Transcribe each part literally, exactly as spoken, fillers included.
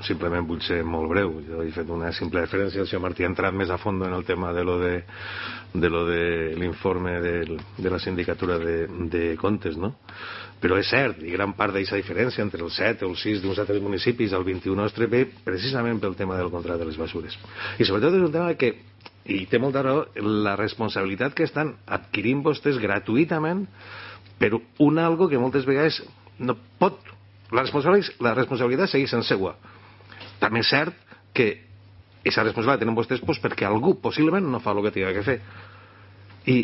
Simplement vull ser molt breu. Jo he fet una simple referència. El senyor Martí ha entrat més a fons en el tema de lo de, de, lo de l'informe de, de la sindicatura de, de comptes, no? Però és cert, i gran part d'aquesta diferència entre el set o el sis d'uns altres municipis al vint-i-u nostre ve precisament pel tema del contracte de les bessures. I sobretot és un tema que, i té molta raó, la responsabilitat que estan adquirint vostès gratuïtament per un algo que moltes vegades no pot. La responsabilitat, la responsabilitat segueix sent seua. També és cert que aquesta responsabilitat tenen vostès pues, perquè algú possiblement no fa el que tingui que fer. I,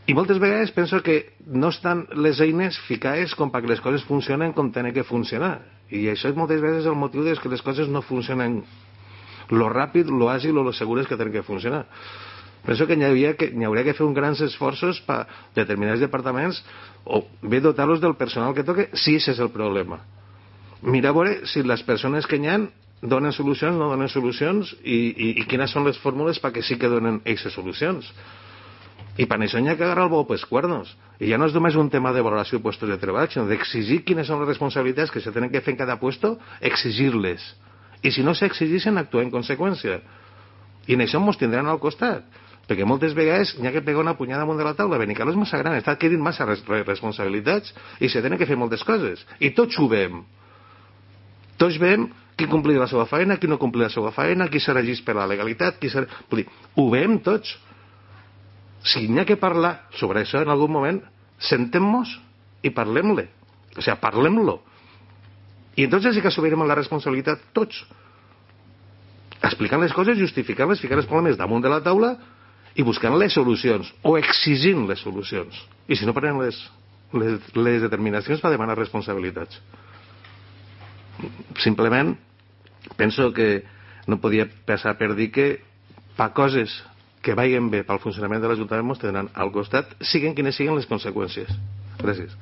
i moltes vegades penso que no estan les eines ficades com perquè les coses funcionen com tenen que funcionar. I això és moltes vegades el motiu de que les coses no funcionen lo ràpid, lo àgil o lo segures que tenen que funcionar. Penso que n'hi hauria que, n'hi hauria que fer uns grans esforços per determinats departaments o bé dotar-los del personal que toque, si aquest és el problema. Mira a veure si les persones que n'hi ha donen solucions, no donen solucions i, i, i quines són les fórmules perquè sí que donen aquestes solucions. I per això n'hi ha que agarrar el bou pels cuernos. I ja no és només un tema de valoració de puestos de treball, sinó d'exigir quines són les responsabilitats que se tenen que fer en cada puesto, exigir-les. I si no s'exigeixen, actuar en conseqüència. I en això ens tindran al costat. Perquè moltes vegades n'hi ha que pegar una punyada amunt de la taula. Benicarló és massa gran, està adquirint massa res responsabilitats i se tenen que fer moltes coses. I tots ho veiem. Tots veiem qui complir la seva feina, qui no complir la seva feina, qui se regeix per la legalitat, qui se... Vull dir, ho veiem tots. Si n'hi ha que parlar sobre això en algun moment, sentem-nos i parlem-le. O sigui, parlem-lo. I entonces sí que assumirem la responsabilitat tots. Explicant les coses, justificant-les, ficant els problemes damunt de la taula i buscant les solucions o exigint les solucions. I si no prenen les, les, les determinacions per demanar responsabilitats. Simplement penso que no podia passar per dir que per coses que vagin bé pel funcionament de l'Ajuntament ens tindran al costat, siguen quines siguen les conseqüències. Gràcies.